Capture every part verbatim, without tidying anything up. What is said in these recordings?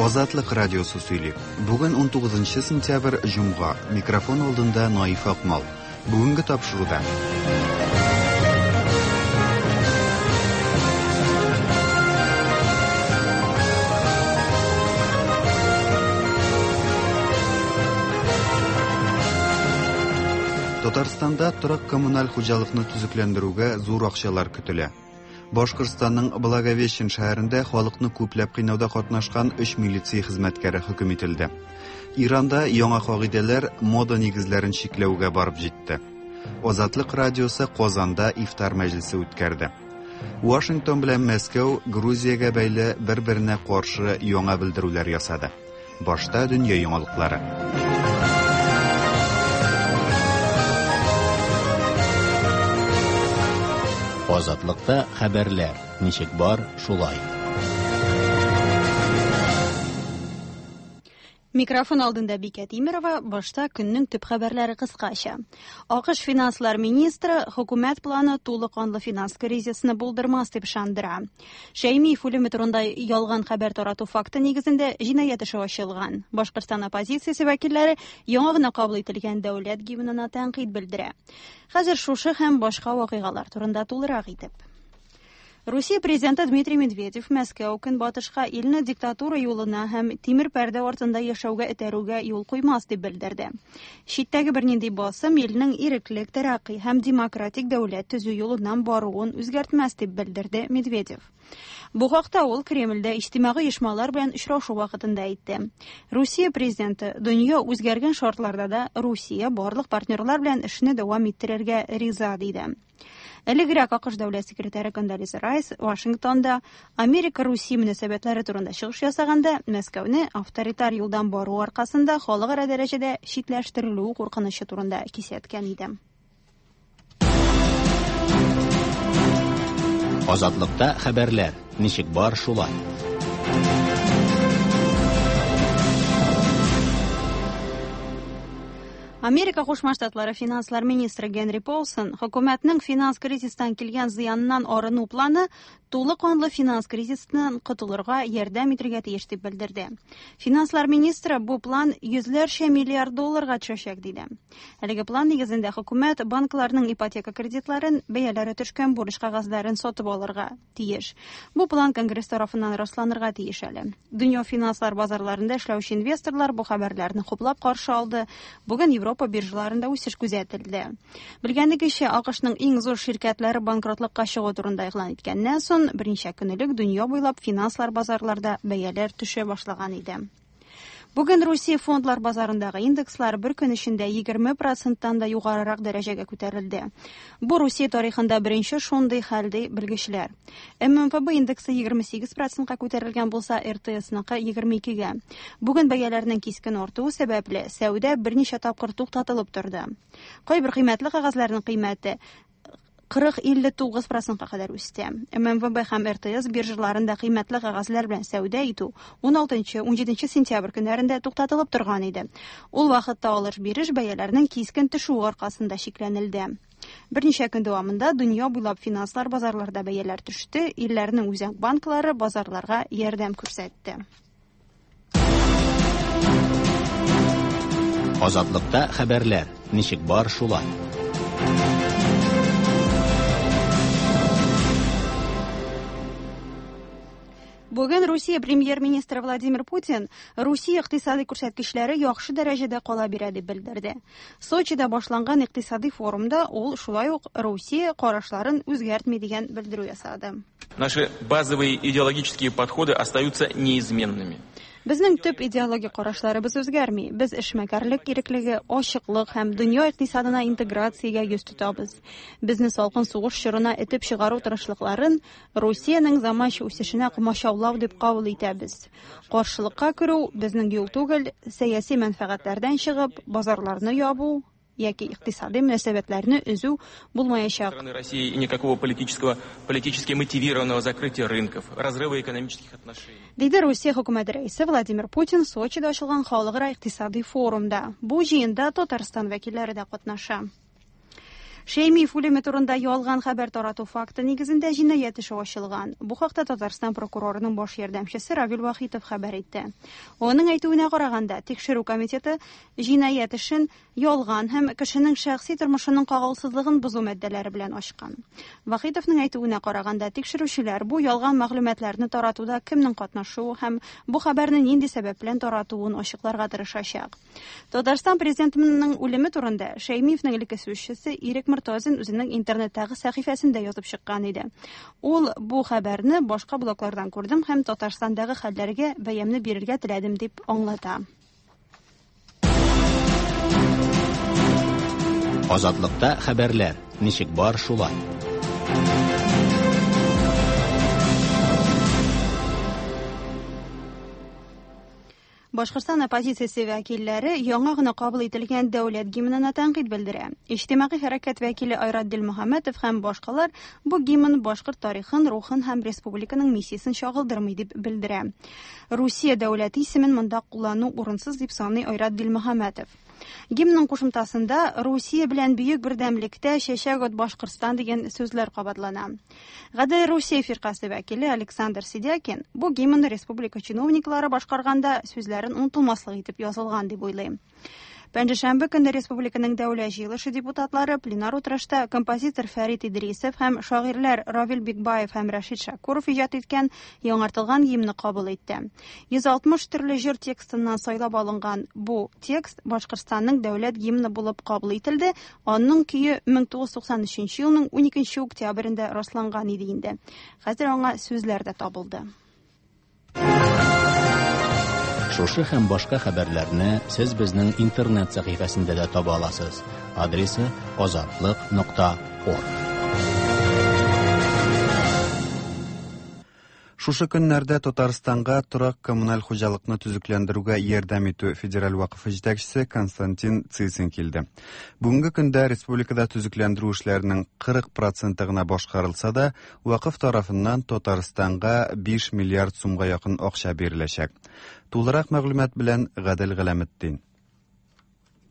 Азатлык радиосы сөйли. Бүген унтугызынчы сентябрь, җомга. Микрофон алдында Наиф Акмал. Бүгенге тапшыруда. Татарстанда торак коммуналь хуҗалыкны төзекләндерүгә зур акчалар көтелә. Башкортстанның Благовещен шәһәрендә халыкны күпләп кыйнауда катнашкан өч милиция хезмәткәре хөкем ителде. Иранда яңа кагыйдәләр мода нигезләрен чикләүгә барып җитте. Азатлык радиосы Казанда ифтар мәҗлесе үткәрде. Вашингтон белән Мәскәү Грузиягә бәйле бер-беренә каршы яңа белдерүләр ясады. Башта дөнья яңалыклары. Азатлыкта хәбәрләр ничек бар, шулай. Микрофон алдында Бикә Тимирова, башта көннең төп хәбәрләре кыскача. АКШ финанслар министры хөкүмәт планы тулы канлы финанс кризисны булдырмас дип ышандыра. Шәймиев үлеме турында ялган хәбәр тарату факты нигезендә җинаять эше ачылган. Башкортстан оппозициясе вәкилләре яңа гына кабул ителгән дәүләт гимнына тәнкыйть белдерә. Хәзер шушы һәм башка вакыйгалар турында тулырак итеп. Русия президенты Дмитрий Медведев Мәскәү көнбатышка илне диктатура юлына һәм тимер пәрдә артында яшәүгә этәрүгә юл куймас дип белдерде. Читтәге бернинди басым илнең иреклек, тәрәкъи һәм демократик дәүләт төзү юлыннан баруын үзгәртмәс дип белдерде Медведев. Бу хакта ул Кремльдә иҗтимагый оешмалар белән очрашу вакытында әйтте. Русия президенты дөнья үзгәргән шартларда да Русия барлык партнерлар белән эшне дәвам иттерергә риза диде. Элегрәк АКШ дәүләт секретаре Кондолиза Райс Вашингтонда Америка-Русия мөнәсәбәтләре турында чыгыш ясаганда Мәскәүне авторитар юлдан бару аркасында халыкара дәрәҗәдә читләштерелү куркынычы турында кисәткән иде. Азатлыкта хәбәрләр ничек бар, шулай. Америка Кушма Штатлары финанслар министры Генри Полсон хөкүмәтнең финанс кризистан килгән зыяннан арыну планы тулы канлы финанс кризисыннан котылырга ярдәм итәргә тиеш дип белдерде. Финанслар министры бу план йөзләрчә миллиард долларга төшәчәк диде. Әлеге план нигезендә хөкүмәт банкларның ипотека кредитларын, бәяләре төшкән бурыч кәгазьләрен сатып алырга тиеш. Бу план Конгресс тарафыннан расланырга тиеш әле. Дөнья финанслар базарларында эшләүче инвесторлар бу хәбәрләрне хуплап каршы алды. Бүген Европа биржаларында үсеш күзәтелде. Белгәнегезчә, АКШның иң зур ширкәтләре банкротлыкка чыгу турында игълан иткәннән соң берничә көн элек дөнья буйлап финанслар базарларда бәяләр төшә башлаган иде. Бүген Русия фондлар базарындагы индекслар бер көн эчендә егерме проценттан да югарырак дәрәҗәгә күтәрелде. Бу Русия тарихында беренче шундый хәл ди белгечләр. эм эм эф бэ индексы егерме сигез процентка күтәрелгән булса, эр тэ эс-ныкы егерме икегә. Бүген бәяләрнең кискен артуы сәбәпле сәүдә берничә тапкыр туктатылып торды. Кайбер кыйммәтле кәгазьләрнең кыйммәте кырык илле тугыз процентка кадәр үсте. эм эм эф бэ һәм эр тэ эс биржаларында кыйммәтле кәгазьләр белән сәүдә итү ун алтынчы, ун җиденче сентябрь көннәрендә туктатылып торган иде. Ул вакытта алыш-биреш бәяләрнең кискен төшүе аркасында чикләнелде. Берничә көн дәвамында дөнья буйлап финанслар базарларда бәяләр төште, илләрнең үзәк банклары базарларга ярдәм күрсәтте. Азатлыкта хәбәрләр ничек бар, шулай. Бүген Русия премьер-министры Владимир Путин Русия икътисади күрсәткечләре яхшы дәрәҗәдә кала бирә дип белдерде. Сочида башланган икътисади форумда ул шулай ук Русия карашларын үзгәртми дигән белдерү ясады. Наши базовые идеологические подходы остаются неизменными. Безнең төп идеологик карашларыбыз үзгәрми. Без эшмәкәрлек иреклеге, ачыклык һәм дөнья икътисадына интеграциягә йөз тотабыз. Безне салкын сугыш чорына этеп чыгару тырышлыкларын Русиянең заманча үсешенә комачаулау дип кабул итәбез. Каршылыкка керү безнең юл түгел, сәяси мәнфәгатьләрдән чыгып, базарларны ябу яки икътисади мөнәсәбәтләрне өзү булмаячак. Страны России и никакого политического, политически мотивированного закрытия рынков, разрыва экономических отношений. Диде Русия хөкүмәте рәисе Владимир Путин Сочида ачылган халыкара икътисади форумда. Бу җыенда Татарстан вәкилләре дә катнаша. Шәймиев үлеме турында ялган хәбәр тарату факты нигезендә җинаять эше ачылган. Бу хакта Татарстан прокурорының баш ярдәмчесе Равил Вахитов хәбәр итте. Аның әйтүенә караганда, тикшерү комитеты җинаять эшен ялган һәм кешенең шәхси тормышының кагылсызлыгын бозу маддәләре белән ачкан. Вахитовның әйтүенә караганда, тикшерүчеләр бу ялган мәгълүматларны таратуда кемнең катнашуы һәм бу хәбәрне нинди сәбәп белән таратуын ачыкларга тырышачак. Татарстан президентының үлеме турында Шәймиевнең элекке сүзчесе Ирек Мортазин үзенең интернеттагы сәхифәсендә язып чыккан иде. Ул бу хәбәрне башка блоглардан күрдем һәм Татарстандагы хәлләргә бәямне бирергә теләдем дип аңлата. Азатлыкта хәбәрләр ничек бар шулай. Башкортстан оппозициясе вәкилләре яңа гына кабул ителгән дәүләт гимнына тәнкыйть белдерә. Иҗтимагый хәрәкәт вәкиле Айрат Дилмөхәммәтов һәм башкалар бу гимн башкорт тарихын, рухын һәм республиканың миссиясен чагылдырмый дип белдерә. Русия дәүләте исемен монда куллану урынсыз дип саный Айрат Дилмөхәммәтов. Гимнның кушымтасында Русия белән бөек бердәмлектә чәчәк ат Башкортстан дигән сүзләр кабатлана. Гадел Русия фиркасе вәкиле Александр Сидякин бу гимнны республика чиновниклары башкарганда сүзләрен онытылмаслык итеп язылган дип уйлый. Пәнҗешәмбе көндә республиканың дәүләт җыелышы депутатлары пленар утырышта композитор Фәрит Идрисов һәм шагыйрьләр Равил Бикбаев һәм Рәшит Шакуров иҗат иткән яңартылган гимнны кабул итте. йөз алтмыш төрле җыр текстыннан сайлап алынган бу текст Башкортстанның дәүләт гимны булып кабул ителде. Аның көе мең тугыз йөз туксан өченче елның уникенче октябрендә расланган иде инде. Хәзер аңа сүзләр дә табылды. Шушы һәм башка хәбәрләрне сез безнең интернет сәхифәсендә дә таба аласыз. Адресы азатлык нокта орг. Шушы көннәрдә Татарстанга торак коммуналь хуҗалыкны төзекләндерүгә ярдәм итү федераль вакыфы җитәкчесе Константин Цицин килде. Бүгенге көндә республикада төзекләндерү эшләренең кырык проценты гына башкарылса да, вакыф тарафыннан Татарстанга биш миллиард сумга якын акча биреләчәк. Тулырак мәгълүмат белән Гадел Галәметдин.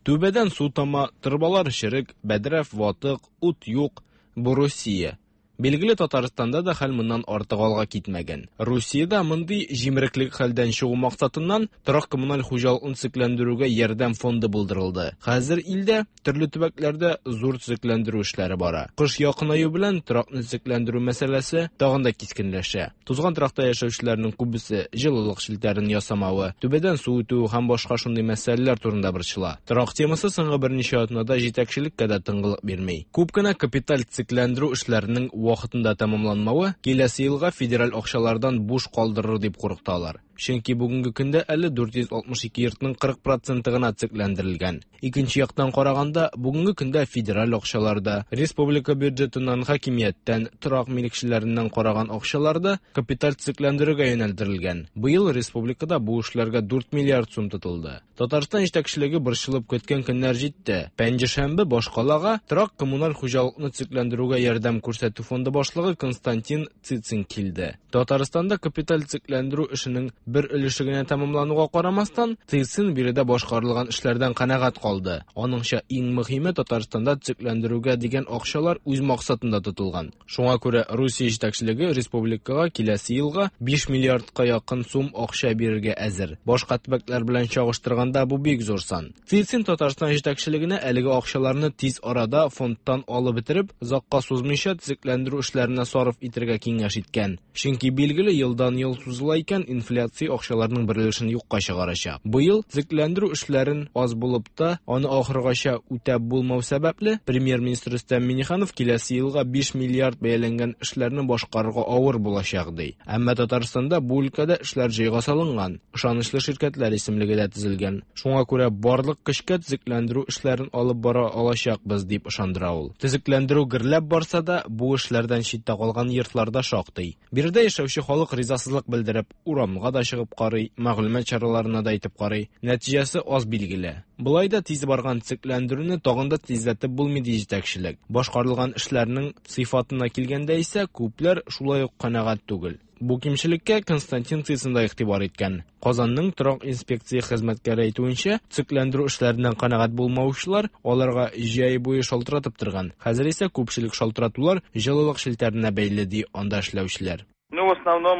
Түбәдән су тама, торбалар черек, бәдрәф ватык, ут юк. Бу Русия. Билгеле, Татарстанда да хәл моннан артык алга китмәгән. Русиядә мондый җимереклек хәлдән чыгу максатыннан торак коммуналь хуҗалыкны төзекләндерүгә ярдәм фонды булдырылды. Хәзер илдә төрле төбәкләрдә зур төзекләндерү эшләре бара. Кыш якынаю белән торакны төзекләндерү мәсьәләсе тагын да кискенләшә. Тузган торакта яшәүчеләрнең күбесе җылылык челтәрен ясамавы, түбәдән су үтү һәм башка шундый мәсьәләләр турында борчыла. Торак темасы соңгы берничә атнада җитәкчелеккә дә тынгылык бирми. Күп кенә капиталь төзекләндерү эшләренең вакытында тәмамланмавы киләсе елга федераль акчалардан буш калдырыр дип куркыталар. Чөнки бүгенге көндә әле дүрт йөз алтмыш ике йортның кырык проценты гына төзекләндерелгән. Икенче яктан караганда, бүгенге көндә федераль акчаларда, республика бюджетыннан, хакимияттән, торак милекчеләреннән караган акчаларда капиталь төзекләндерүгә юнәлдерелгән. Быел республикада бу эшләргә дүрт миллиард сум тотылды. Татарстан җитәкчелеге борчылып көткән көннәр җитте. Пәнҗешәмбе башкалага торак коммуналь хуҗалыкны төзекләндерүгә ярдәм күрсәтү фонды башлыгы Константин Цицин килде. Татарстанда капиталь төзекләндерү эшенең бер өлеше генә тәмамлануга карамастан, Цицин биредә башкарылган эшләрдән канәгать калды. Аныңча, иң мөһиме Татарстанда төзекләндерүгә дигән акчалар үз максатында тотылган. Шуңа күрә Русия җитәкчелеге республикага киләсе елга биш миллиардка якын сум акча бирергә әзер. Башка төбәкләр белән чагыштырганда бу бик зур сан. Цицин Татарстан җитәкчелегенә әлеге акчаларны тиз арада фондтан алып бетереп, озакка сузмыйча төзекләндерү эшләренә сарыф итәргә киңәш иткән. Чөнки билгеле елдан ел сузыла икән, инфляция акчаларның бер өлешен юкка чыгарачак. Быел төзекләндерү эшләрен аз булып та, аны ахыргача үтәп булмау сәбәпле, премьер-министр Рөстәм Миңнеханов киләсе елга биш миллиард бәяләнгән эшләрне башкарырга авыр булачак ди. Әмма Татарстанда бу өлкәдә эшләр җайга салынган, ышанычлы ширкәтләр исемлеге дә төзелгән. Шуңа күрә барлык көчкә төзекләндерү эшләрен алып бара алачакбыз дип ышандыра ул. Төзекләндерү гөрләп барса да, бу эшләрдән читтә калган йортларда шактый. Биредә яшәүче халык ризасызлык белдереп, урамга да чыгып карый, мәгълүмат чараларына да әйтеп карый. Нәтиҗәсе аз билгеле. Болай да тиз барган төзекләндерүне тагын да тизләтеп булмый ди җитәкчелек. Башкарылган эшләрнең сыйфатына килгәндә исә күпләр шулай ук канәгать түгел. Бу кимчелеккә Константин Цицин да игътибар иткән. Казанның торак инспекция хезмәткәре әйтүенчә, төзекләндерү эшләреннән канәгать булмаучылар аларга җәй буе шалтыратып торган. Хәзер исә күпчелек шалтыратулар җылылык челтәренә бәйле ди анда эшләүчеләр. Ну, в основном,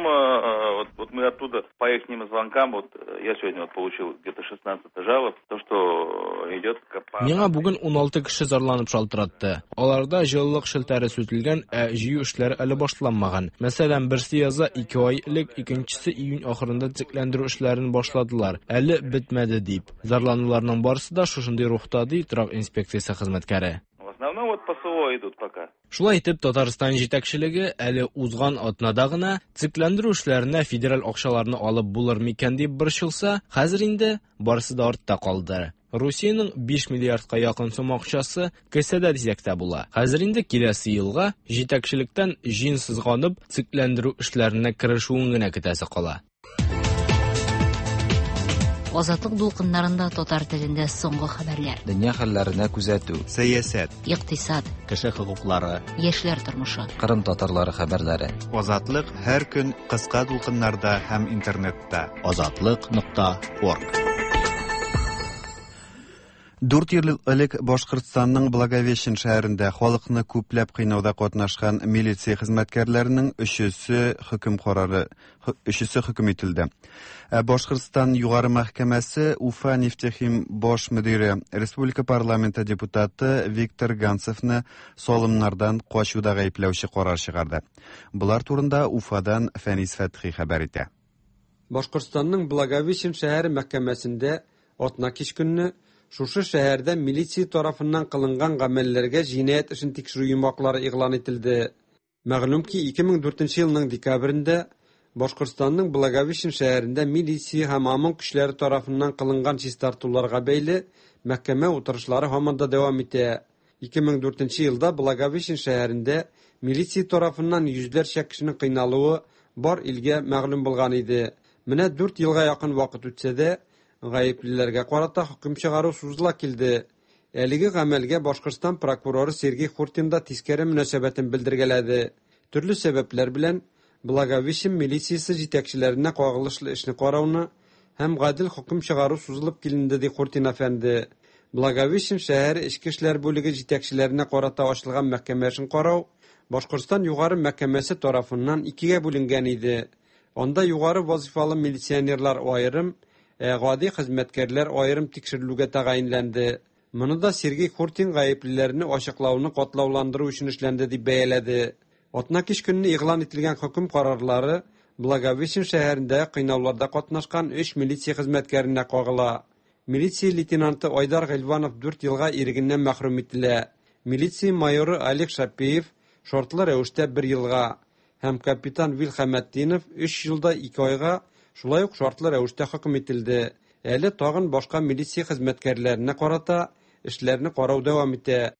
вот, вот мы оттуда по их звонкам, вот я сегодня вот получил где-то шестнадцать жалоб, то, что идет по... Миңа бүген ун алты кеше зарланып шалтыратты. Аларда җылылык челтәре сүтелгән, ә җыю эшләре әле башланмаган. Мәсәлән, берсе яза ике ай элек, икенчесе июнь ахырында төзекләндерү эшләрен башладылар. Әле бетмәде дип. Зарлануларның барысы да шушындый рухта, ди торак инспекциясе хезмәткәре. В основном вот по СО идут пока. Шулай итеп, Татарстан җитәкчелеге әле узган атнада гына төзекләндерү эшләренә федераль акчаларны алып булыр микән дип борчылса, хәзер инде барысы да артта калды. Русиянең биш миллиардка якын сум акчасы кесәдә дисәк тә була. Хәзер инде киләсе елга җитәкчелектән җиң сызганып төзекләндерү эшләренә керешүен генә көтәсе кала. Азатлык дулкыннарында татар телендә соңгы хәбәрләр. Дөнья хәлләренә күзәтү. Сәясәт, икътисад, кеше хокуклары, яшьләр тормышы. Кырым татарлары хәбәрләре. Азатлык һәр көн кыска дулкыннарда һәм интернетта. Азатлык нокта орг. Дүрт ел элек Башкортстанның Благовещен шәһәрендә халыкны күпләп кыйнауда катнашкан милиция хезмәткәрләренең өчесе хөкем карары, өчесе хөкем ителде. Башкортстан Югары мәхкәмәсе Уфа нефтехим баш мөдире, Республика парламенты депутаты Виктор Ганцевны салымнардан качуда гаепләүче карар чыгарды. Булар турында Уфадан Фәнис Фәтхи хәбәр итә. Башкортстанның Благовещен шәһәре мәхкәмәсендә атна кич көнне шушы шәһәрдә милиция тарафыннан кылынган гамәлләргә җинаять эшен тикшерү йомгаклары игълан ителде. Мәгълүм ки, ике мең дүртенче елның декабрендә Башкортстанның Благовещен шәһәрендә милиция һәм ОМОН көчләре тарафыннан кылынган чистартуларга бәйле мәхкәмә утырышлары һаман да дәвам итә. ике мең дүртенче елда Благовещен шәһәрендә милиция тарафыннан йөзләрчә кешенең кыйналуы бар илгә мәгълүм булган иде. Менә дүрт елга якын вакыт үтсә дә, гаеплеләргә карата хөкем чыгару сузыла килде. Әлеге гамәлгә Башкортстан прокуроры Сергей Хуртин да тискәре мөнәсәбәтен белдергәләде. Төрле сәбәпләр белән Благовещен милициясе җитәкчеләренә кагылышлы эшне карауны һәм гадел хөкем чыгару сузылып киленде, ди Хуртин әфәнде. Благовещен шәһәре эчке эшләр бүлеге җитәкчеләренә карата ачылган мәхкәмә эшен карау Башкортстан Югары мәхкәмәсе тарафыннан икегә бүленгән иде. Анда югары вазифалы милиционерлар аерым, ә гади хезмәткәрләр аерым тикшерелүгә тәгаенләнде. Моны да Сергей Хуртин гаеплеләрне ачыклауны катлауландыру өчен эшләнде дип бәяләде. Атна кич көнне игълан ителгән хөкем карарлары Благовещен шәһәрендә кыйнауларда катнашкан өч милиция хезмәткәренә кагыла. Милиция лейтенанты Айдар Гыйльванов дүрт елга ирегеннән мәхрүм ителә. Милиция майоры Олег Шапиев шартлы рәвештә бер елга һәм капитан Вил Хәмәтдинов өч елда ике айга шулай ук шартлы рәвештә хөкем ителде. Әле тагын башка милиция хезмәткәрләренә карата эшләрне карау дәвам итә.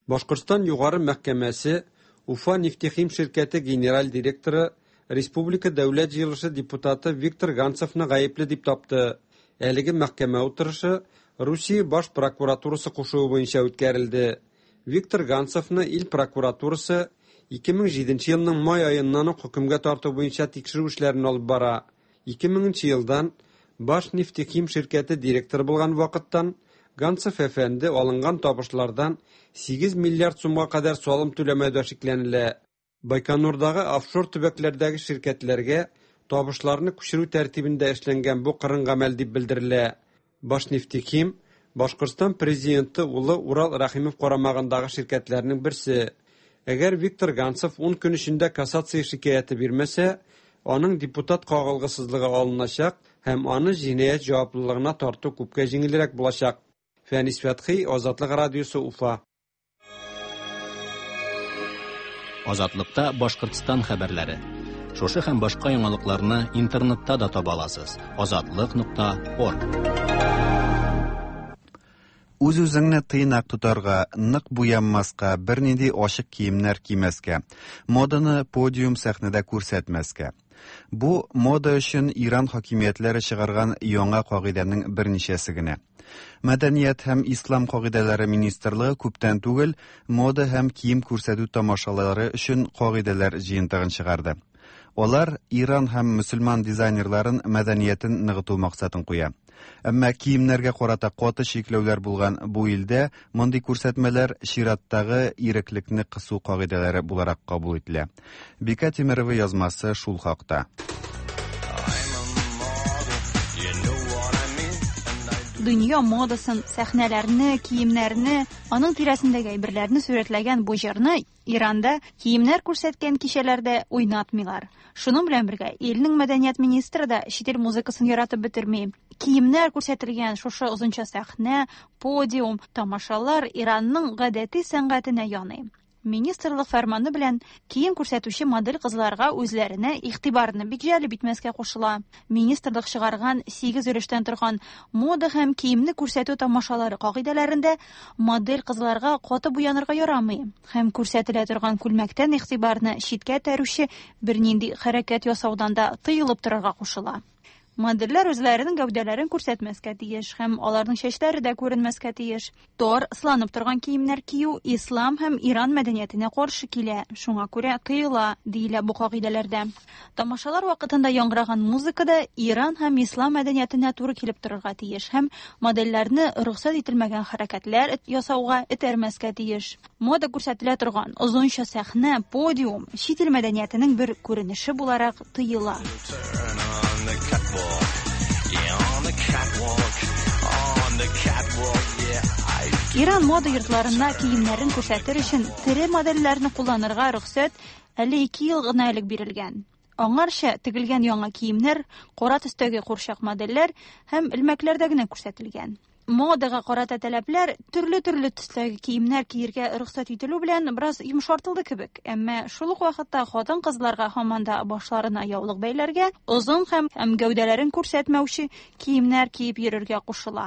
Башкортстан Югары мәхкәмәсе Уфа нефтехим ширкәте генераль директоры, Республика Дәүләт җыелышы депутаты Виктор Ганцевны гаепле дип тапты. Әлеге мәхкәмә утырышы Русия баш прокуратурасы кушуы буенча үткәрелде. Виктор Ганцевны ил прокуратурасы ике мең җиденче елның май аеннан ук хөкемгә тарту буенча тикшерү эшләрен алып бара. ике меңенче елдан Баш нефтехим ширкәте директоры булган вакыттан Ганцев әфәнде алынган табышлардан сигез миллиард сумга кадәр салым түләмәүдә шикләнелә. Байконурдагы офшор төбәкләрдәге ширкәтләргә табышларны күчерү тәртибендә эшләнгән бу кырын гамәл дип белдерелә. Баш нефтехим Башкортстан президенты улы Урал Рәхимов карамагындагы ширкәтләрнең берсе. Әгәр Виктор Ганцев ун көн эчендә кассация шикаяте бирмәсә, аның депутат кагылгысызлыгы алыначак һәм аны җинаять җаваплылыгына тарту күпкә җиңелрәк булачак. Фәнис Фәтхи, Азатлык радиосы, Уфа. Азатлыкта Башкортстан хәбәрләре. Шушы һәм башка яңалыкларны интернетта да таба аласыз. Азатлык нокта орг. Үз-үзеңне тыйнак тотарга, нык буянмаска, бернинди ачык киемнәр кимәскә, моданы подиум сәхнәдә күрсәтмәскә. Бу мода өчен Иран хакимиятләре чыгарган яңа кагыйдәнең берничәсе генә. Мәдәният һәм ислам кагыйдәләре министрлыгы күптән түгел мода һәм кием күрсәтү тамашалары өчен кагыйдәләр җыентыгын чыгарды. Алар Иран һәм мөселман дизайнерларын мәдәниятен ныгыту максатын куя. Әмма киемнәргә карата каты чикләүләр булган бу илдә мондый күрсәтмәләр чираттагы иреклекне кысу кагыйдәләре буларак кабул ителә. Бика Тимирова язмасы шул хакта. Дөнья модасын, сәхнәләрне, киемнәрне, аның тирәсендәге әйберләрне сурәтләгән бу җырны Иранда киемнәр күрсәткән кичәләрдә уйнатмыйлар. Шуның белән бергә илнең мәдәният министры да чит ил музыкасын яратып бетерми. Киемнәр күрсәтелгән шушы озынча сәхнә, подиум, тамашалар Иранның гадәти сәнгатенә яный. Министрлык фәрманы белән кием күрсәтүче модель кызларга үзләренә игътибарны бик җәлеп итмәскә кушыла. Министрлык чыгарган сигез өлештән торган мода һәм киемне күрсәтү тамашалары кагыйдәләрендә модель кызларга каты буянырга ярамый һәм күрсәтелә торган күлмәктән игътибарны читкә этәрүче бернинди хәрәкәт ясаудан да тыелып торырга кушыла. Модельләр үзләренең гәүдәләрен күрсәтмәскә тиеш һәм аларның чәчләре дә күренмәскә тиеш. Тар, ысланып торган киемнәр кию ислам һәм Иран мәдәниятенә каршы килә, шуңа күрә тыела, диелә бу кагыйдәләрдә. Тамашалар вакытында яңгыраган музыка да Иран һәм ислам мәдәниятенә туры килеп торырга тиеш һәм модельләрне рөхсәт ителмәгән хәрәкәтләр ясауга этәрмәскә тиеш. Мода күрсәтелә торган озынча сәхнә, подиум чит ил мәдәниятенең бер күренеше буларак тыела. Иран мода йортларына киемнәрен күрсәтер өчен тере модельләрне кулланырга рөхсәт әле ике ел гына элек бирелгән. Аңарча тегелгән яңа киемнәр, кара төстәге курчак модельләр һәм элмәкләрдә генә күрсәтелгән. Модага карата таләпләр төрле-төрле төстәге киемнәр киергә рөхсәт ителү белән бераз йомшартылды кебек, әмма шул ук вакытта хатын-кызларга һаман да башларына яулык бәйләргә, озын һәм һәм гәүдәләрен күрсәтмәүче киемнәр киеп йөрергә кушыла.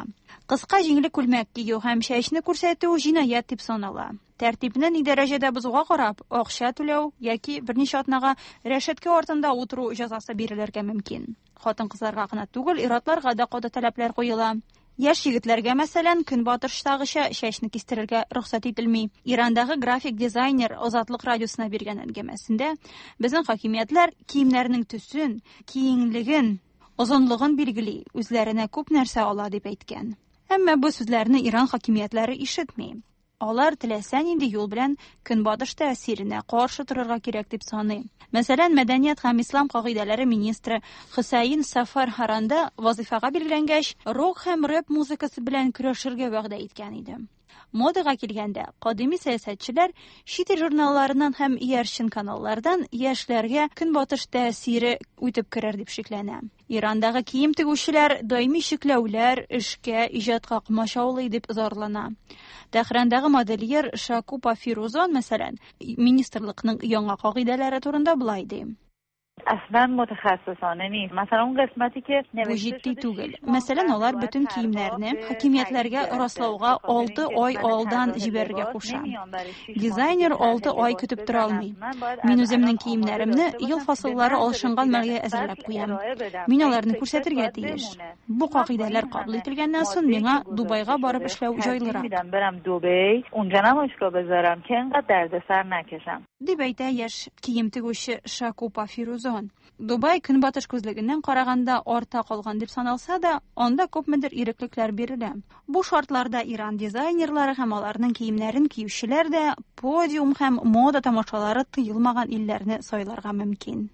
Кыска җиңле күлмәк кию һәм чәчне күрсәтү җинаять дип санала. Тәртипне ни дәрәҗәдә бозуга карап, акча түләү яки берничә атнага рәшәткә артында утыру җәзасы бирелергә мөмкин. Хатын-кызларга гына түгел, ир-атларга да каты таләпләр куела. Яшь егетләргә, мәсәлән, көнбатыштагыча чәчне кистерергә рөхсәт ителми. Ирандагы график дизайнер Азатлык радиосына биргән әңгәмәсендә безнең хакимиятләр киемнәрнең төсен, киңлеген, озынлыгын билгели, үзләренә күп нәрсә ала дип әйткән. Әмма бу сүзләрне Иран хакимиятләре ишетми. Алар теләсә нинди юл белән көнбатыш тәэсиренә каршы торырга кирәк дип саный. Мәсәлән, мәдәният һәм ислам кагыйдәләре министры Хөсәйн Сафар Харанда вазифага билгеләнгәч, рок һәм рэп музыкасы белән көрәшергә вәгъдә иткән иде. Модага килгәндә, кадими сәясәтчеләр чит ил журналларыннан һәм иярчен каналлардан яшьләргә көнбатыш тәэсире үтеп керер дип шикләнә. Ирандагы кием тегүчеләр даими чикләүләр, эшкә, иҗатка комачаулый дип зарлана. Тәһрандагы модельер Шакупа Фирузон, мәсәлән, министрлыкның яңа кагыйдәләре турында болай ди. اصلا متخصصانه نیست. مثلا اون قسمتی که Бу җитди түгел. Мәсәлән, алар бөтен киемнәрне хакимиятләргә раслауга алты ай алдан җибәрергә куша. Дизайнер алты ай көтеп тора алмый. Мин үземнең киемнәремне ел фасыллары алышынган мәлгә әзерләп куям. Мин аларны күрсәтергә тиеш. Бу кагыйдәләр кабул ителгәннән соң миңа Дубайга барып эшләү җайлырак. Дип әйтә яшь кием тегүче Шакупа Фирузон. Дубай көнбатыш күзлегеннән караганда арта калган дип саналса да, анда күпмедер иреклекләр бирелә. Бу шартларда Иран дизайнерлары һәм аларның киемнәрен киючеләр дә подиум һәм мода тамашалары тыелмаган илләрне сайларга мөмкин.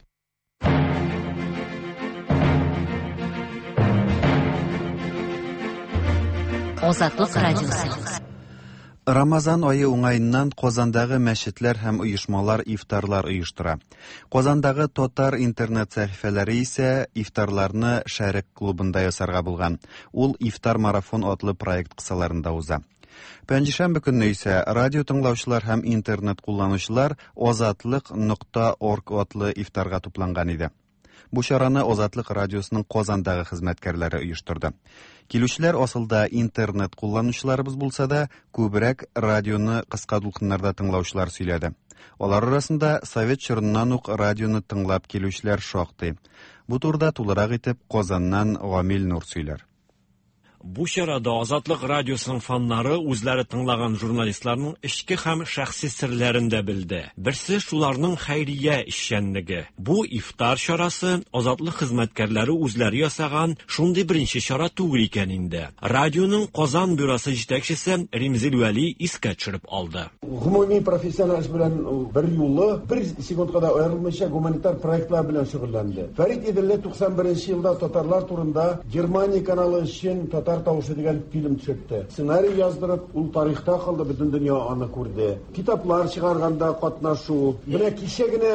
Азатлык радиосы. Рамазан айы уңаеннан Казандагы мәчетләр һәм оешмалар ифтарлар оештыра. Казандагы татар интернет сәхифәләре исә ифтарларны Шәрык клубында ясарга булган. Ул ифтар марафон атлы проект кысаларында уза. Пәнҗешәмбе көнне исә радио тыңлаучылар һәм интернет кулланучылар азатлык нокта орг атлы ифтарга тупланган иде. Бу чараны Азатлык радиосының Казандагы хезмәткәрләре оештырды. Килүчеләр асылда интернет кулланучыларыбыз булса да, күбрәк радионы кыска дулкыннарда тыңлаучылар сөйләде. Алар арасында совет чорыннан ук радионы тыңлап килүчеләр шактый. Бу турыда тулырак итеп Казаннан Гамил Нур сөйләр. Бу чарада Азатлык радиосының фаннары үзләре тыңлаган журналистларның эчке һәм шәхси серләрен дә белде. Берсе шуларның хәйрия эшчәнлеге. Бу ифтар чарасы Азатлык хезмәткәрләре үзләре ясаган шундый беренче чара түгел икән инде. Радионың Казан бюросы җитәкчесе Римзил Вәли искә төшереп алды. Гомуми профессиональ эш белән бер юлы бер секундка да аерылмыйча гуманитар проектлар белән шөгыльләнде. Фәрит Иделле туксан беренче елда татарлар турында Германия каналы өчен Татар тавышы дигән фильм төшертте. Сценарий яздырып, ул тарихта калды, бөтен дөнья аны күрде. Китаплар чыгарганда катнашу. Менә кичә генә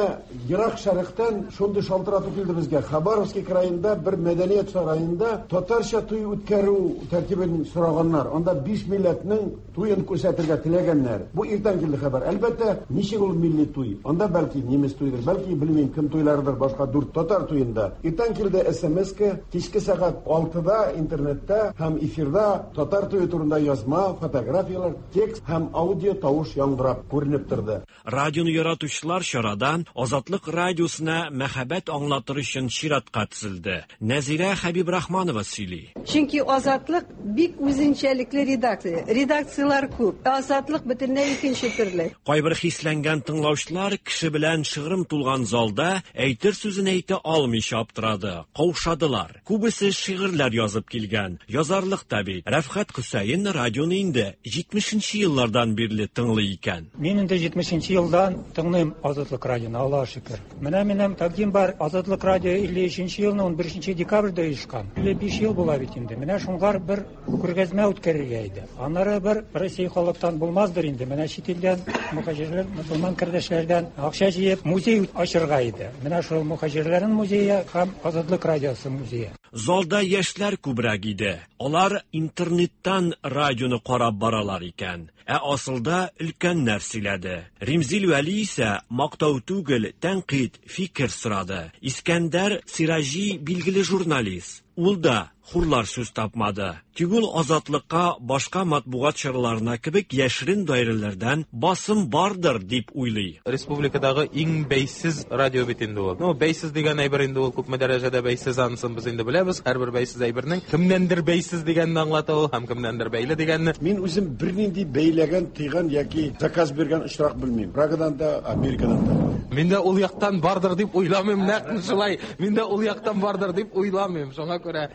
Ерак Шәрыктан шундый шалтырату килде безгә. Хабаровский краенда бер мәдәният сараенда татарча туй үткәрү тәртибен сораганнар. Анда биш милләтнең туен күрсәтергә теләгәннәр. Бу иртән килде хәбәр. Әлбәттә, ничек ул милли туй? Анда бәлки немец туйдыр, бәлки белмим кем туйларыдыр, башка дүрт татар туенда. Иртән килде СМС-ка, кичке сәгать алтыда интернетта һәм эфирда татар туе турында язма, фотографияләр, текст һәм аудио тавыш яңгырап күренеп торды. Радионы яратучылар чарада Азатлык радиосына мәхәббәт аңлатыр өчен чиратка тезелде. Нәзирә Хәбибрахманова сөйли. Чөнки Азатлык бик үзенчәлекле редакция. Редакцияләр күп. Азатлык бөтенләй икенче төрле. Кайбер хисләнгән тыңлаучылар кеше белән шыгрым тулган залда әйтер сүзен әйтә алмыйча аптырады, каушадылар. Күбесе шигырьләр язып килгән. Язарлык та бит. Рәфхәт Хөсәен радионы инде җитмешенче еллардан бирле тыңлый икән. Мин инде җитмешенче елдан тыңлыйм Азатлык радионы, Аллаһ шөкер. Менә минем тәкъдим бар. Азатлык радио илле өченче елны унберенче декабрьдә оешкан. илле биш ел була бит инде. Менә шуңар бер күргәзмә үткәрергә иде. Аннары бер Россия халыктан булмаздыр инде. Менә чит илдән мөхаҗирләр, мөселман кардәшләрдән акча җыеп музей ачырга иде. Менә шул мөхаҗирләрнең музее һәм Азатлык радиосы музее. Залда яшьләр күбрәк иде. Алар интернеттан радионы карап баралар икән. Ә асылда өлкәннәр сөйләде. Римзил Вәли исә мактау түгел, тәнкыйть, фикер сорады. Искәндәр Сираҗи билгеле журналист. Ул да хурлар сүз тапмады. Тик ул Азатлыкка башка матбугат чараларына кебек яшерен даирәләрдән басым бардыр дип уйлый. Республикадагы иң бәйсез радио бит инде ул. Ну, бәйсез дигән әйбер инде ул күпме дәрәҗәдә бәйсез, анысын без инде беләбез. Һәрбер бәйсез әйбернең кемнәндер бәйсез дигәнне аңлата ул һәм кемнәндер бәйле дигәнне. Мин үзем бернинди бәйләгән, тыйган яки заказ биргән очрак белмим. Прагадан да, Америкадан да. Мин дә ул яктан бардыр дип уйламыйм, нәкъ шулай. Мин дә ул яктан бардыр дип уйламыйм. Шуңа күрә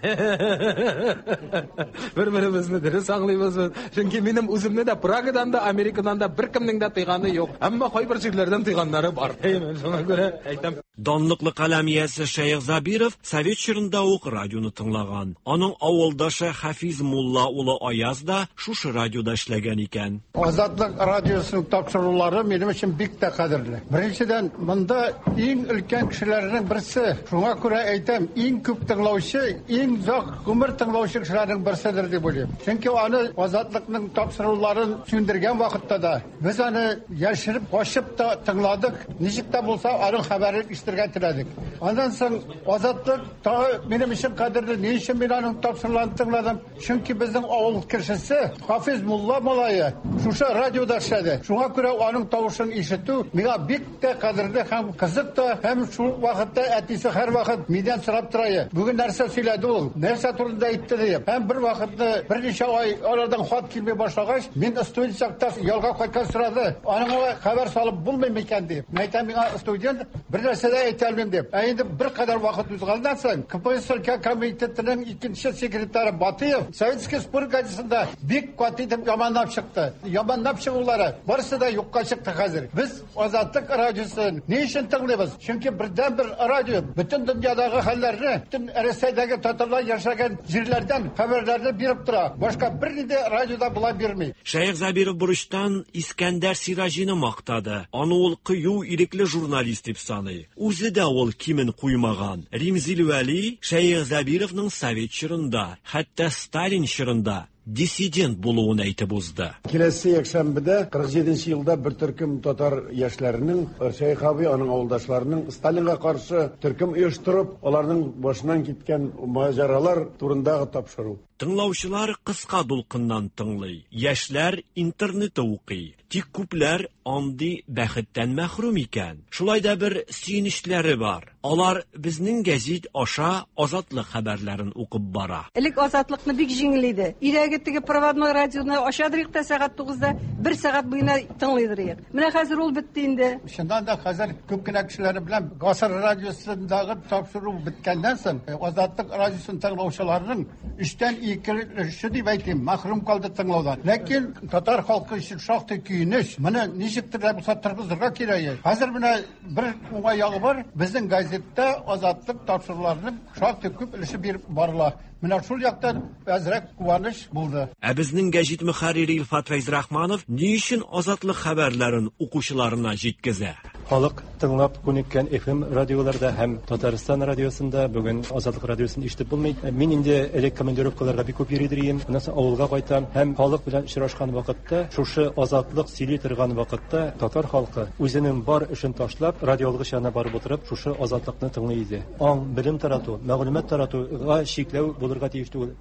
бер-беребезне дөрес аңлыйбыз. Чөнки минем үземне дә Прагадан да, Америкадан да беркемнең дә тыйганы юк. Әмма кайбер җирләрдән тыйганнары бар. Шуңа күрә әйтәм. Данлыклы каләм иясе Шәех Забиров совет чорында ук радионы тыңлаган. Аның авылдашы Хафиз мулла улы Аяз да шушы радиода эшләгән икән. Азатлык радиосының тапшырулары минем өчен бик тә кадерле. Беренчедән, монда иң өлкән кешеләрнең берсе. Шуңа күрә әйтәм, иң күп тыңлаучы, иң озак гомер тыңлаучы кешеләрнең берседер дип уйлыйм. Чөнки аны Азатлыкның тапшыруларын сүндергән вакытта да без аны яшереп, качып та тыңладык. Ничек тә булса аның хәбәрен ишетергә теләдек. Аннан соң Азатлык тагы минем өчен кадерле. Ни өчен мин аның тапшыруларын тыңладым? Чөнки безнең авыл кешесе Хафиз мулла малае шушы радиода эшләде. Шуңа күрә аның тавышын ишетү миңа бик тә кадерле һәм кызык та, һәм шул вакытта әтисе һәрвакыт миннән сорап тора. Бүген нәрсә сөйләде ул? Нәрсә турында әйтте дип. Һәм бер вакытны берничә ай алардан хат килми башлагач, мин студент чакта ялга кайткан сорады. Аның хәбәр салып булмый микән дип. Мин әйтәм, миңа студент бер нәрсә дә әйтә алмыйм дип. Ә инде бер кадәр вакыт узганнан соң КПСС өлкә комитетының икенче секретаре Батыев Советский спорт газетасында бик каты итеп яманлап чыкты. Яманлап чыгулары барысы да юкка чыкты хәзер. Без Азатлык радиосын ни өчен тыңлыйбыз? Чөнки бердән-бер радио бөтен дөньядагы хәлләрне, бөтен Рәсәйдәге татарлар яшәгән җирләрдән хәбәрләрне биреп тора. Башка бернинди радиода була бирми. Шәех Забиров бурычтан Искәндәр Сираҗины мактады. Аны ул кыю, ирекле журналист дип саный. Үзе дә ул кимен куймаган. Римзил Вәли Шәех Забировның совет чорында, хәтта Сталин чорында диссидент булуын әйтеп узды. Киләсе якшәмбедә кырык җиденче елда бер төркем татар яшьләренең, Шәех абый, аның авылдашларының Сталинга каршы төркем оештырып, аларның башыннан киткән маҗаралар турындагы тапшыру. Тыңлаучылар кыска дулкыннан тыңлый, яшьләр интернетта укый. Тик күпләр андый бәхеттән мәхрүм икән. Шулай да бер сөенечләре бар. Алар безнең гәзит аша Азатлык хәбәрләрен укып бара. Элек Азатлыкны бик җиңел иде. Өйдәге теге проводной радионы ачадырык та сәгать тугызда бер сәгать буена тыңлыйдырык. Менә хәзер ул бетте инде. Чыннан да хәзер күп кенә кешеләр белән Гасыр радиосындагы тапшыру беткәннән соң Азатлык радиосын тыңлаучыларның өчтән ике өлеше дип әйтим, мәхрүм калды тыңлаудан. Ләкин татар халкы өчен шактый көенеч. Менә ничектер дә булса торгызырга кирәк. Хәзер менә бер уңай ягы бар. Безнең газетта Азатлык тапшыруларының шактый күп өлеше биреп барыла. Менә шул яктан әзрәк куаныч булды. Ә безнең гәзит мөхәррире Илфат Фәйзрахманов ни өчен Азатлык хәбәрләрен укучыларына җиткезә? Халык тыңлап күнеккән эф эм радиоларда һәм Татарстан радиосында бүген Азатлык радиосын ишетеп булмый. Мин инде элек командировкаларга бик күп йөри идем. Аннан соң авылга кайтам һәм халык белән очрашкан вакытта, шушы Азатлык сөйли торган вакытта татар халкы үзенең бар эшен ташлап, радиолгыч янына барып утырып, шушы Азатлыкны тыңлый иде. Аң, белем тарату, мәгълүмат таратуга чикләү булырга тиеш түгел.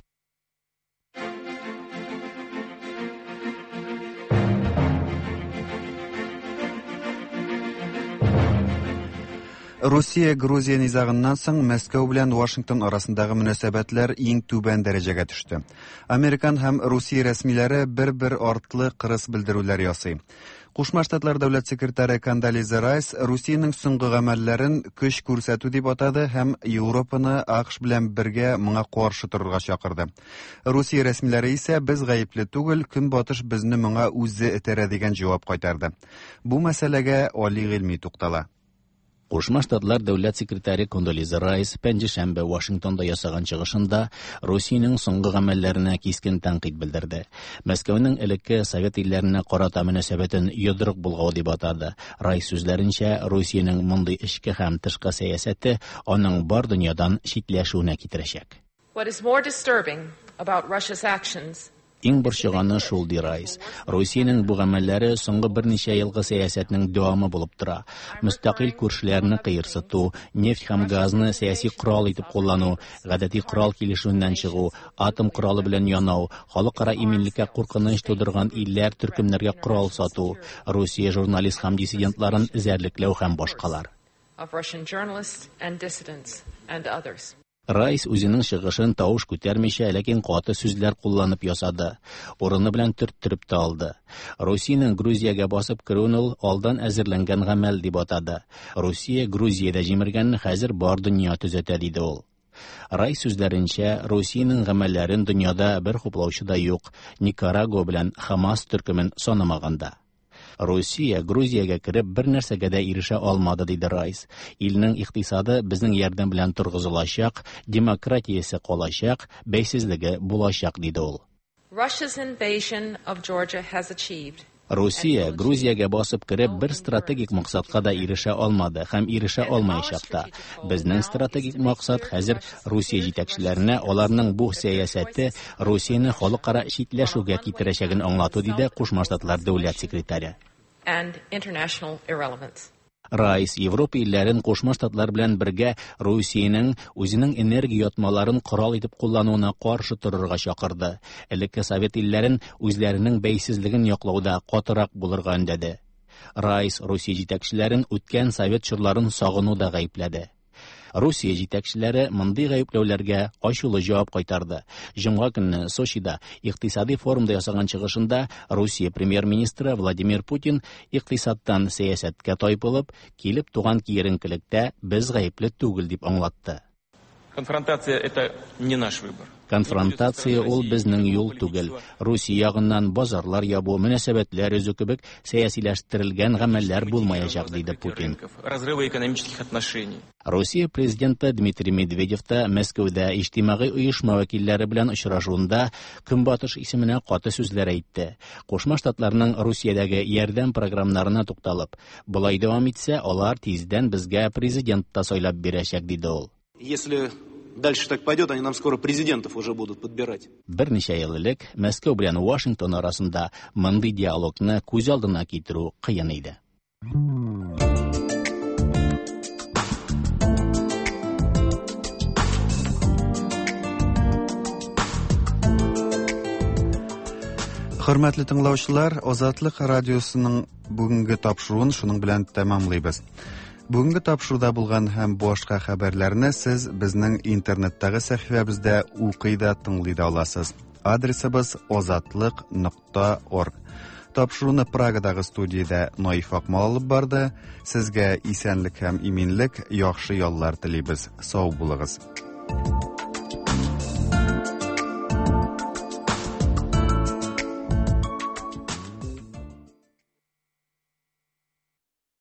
Русия-Грузия низагыннан соң Мәскәү белән Вашингтон арасындагы мөнәсәбәтләр иң түбән дәрәҗәгә төште. Американ һәм Русия рәсмиләре бер-бер артлы кырыс белдерүләр ясый. Кушма Штатлар дәүләт секретаре Кондолиза Райс Русиянең соңгы гамәлләрен көч күрсәтү дип атады һәм Европаны АКШ белән бергә моңа каршы торырга чакырды. Русия рәсмиләре исә без гаепле түгел, Көнбатыш безне моңа үзе этәрә дигән җавап кайтарды. Бу мәсьәләгә Али Гыйльми туктала. Кушма Штатлар дәүләт секретаре Кондолиза Райс пәнҗешәмбе Вашингтонда ясаган чыгышында Русиянең соңгы гамәлләренә кискен тәнкыйть белдерде. Мәскәүнең элекке совет илләренә карата мөнәсәбәтен йодрык булгау дип атады. Райс сүзләренчә, Русиянең мондый эчке һәм тышкы сәясәте аның бар дөньядан читләшүенә китерәчәк. What is more disturbing about Russia's actions? Иң борчыганы шул, ди Райс. Русиянең бу гамәлләре соңгы берничә елгы сәясәтнең дәвамы булып тора. Мөстәкыйль күршеләрне кыерсыту, нефть һәм газны сәяси корал итеп куллану, гадәти корал килешүеннән чыгу, атом коралы белән янау, халыкара иминлеккә куркыныч тудырган илләр төркемнәргә корал сату, Русия журналист һәм диссидентларын эзәрлекләү һәм башкалар. Of Russian journalists and dissidents and others. Райс үзенең чыгышын тавыш күтәрмичә, ләкин каты сүзләр кулланып ясады. Урыны белән төрттереп тә алды. Русиянең Грузиягә басып керүен ул алдан әзерләнгән гамәл дип атады. Русия Грузиядә җимергәнне хәзер бар дөнья төзәтә, диде ул. Райс сүзләренчә, Русиянең гамәлләрен дөньяда бер хуплаучы да юк, Никарагуа белән Хамас төркемен санамаганда. Русия Грузиягә кереп бер нәрсәгә дә ирешә алмады, диде Райс. Илнең икътисады безнең ярдәм белән торгызылачак, демократиясе калачак, бәйсезлеге булачак, диде ул. Russia's invasion of Georgia has achieved. Русия Грузиягә басып кереп бер стратегик максатка да ирешә алмады һәм ирешә алмаячак та. Безнең стратегик максат хәзер Русия җитәкчеләренә аларның бу сәясәте Русияне халыкара читләшүгә китерәчәген аңлату, диде Кушма Штатлар дәүләт секретаре. And international irrelevance. Райс Европа илләрен Кушма Штатлар белән бергә Русиянең үзенең энергия ятмаларын корал итеп куллануына каршы торырга чакырды. Элекке совет илләрен үзләренең бәйсезлеген яклауда катырак булырга өндәде. Райс Русия җитәкчеләрен үткән совет чорларын сагынуда гаепләде. Русия җитәкчеләре мондый гаепләүләргә ачулы җавап кайтарды. Җомга көнне Сочида икътисади форумда ясаган чыгышында Русия премьер-министры Владимир Путин икътисадтан сәясәткә тайпылып, килеп туган киеренкелектә без гаепле түгел дип аңлатты. Конфронтация это не наш выбор. Конфронтация ул безнең юл түгел. Русия ягыннан базарлар ябу, мөнәсәбәтләр өзү кебек сәясиләштерелгән гамәлләр булмаячак, диде Путин. Разрывы экономических отношений. Русия президенты Дмитрий Медведев та Мәскәүдә иҗтимагый оешма вәкилләре белән очрашуында Көнбатыш исеменә каты сүзләр әйтте. Кушма Штатларның Русиядәге ярдәм программаларына тукталып, болай дәвам итсә, алар тиздән безгә президент та сайлап бирәчәк, диде ул. Если дальше так пойдет, они нам скоро президентов уже будут подбирать. Берничә ел элек Мәскәү белән Вашингтон арасында мондый диалогны күз алдына китерү кыен иде. Хөрмәтле тыңлаучылар, Азатлык радиосының бүгенге тапшыруын шуның белән тәмамлыйбыз. Бүгенге тапшыруда булган һәм башка хәбәрләрне сез безнең интернеттагы сәхифәбездә укый да, тыңлый да аласыз. Адресыбыз азатлык нокта орг. Тапшыруны Прагадагы студиядә Наиф Акмал алып барды. Сезгә исәнлек һәм иминлек, яхшы яллар телибез. Сау булыгыз.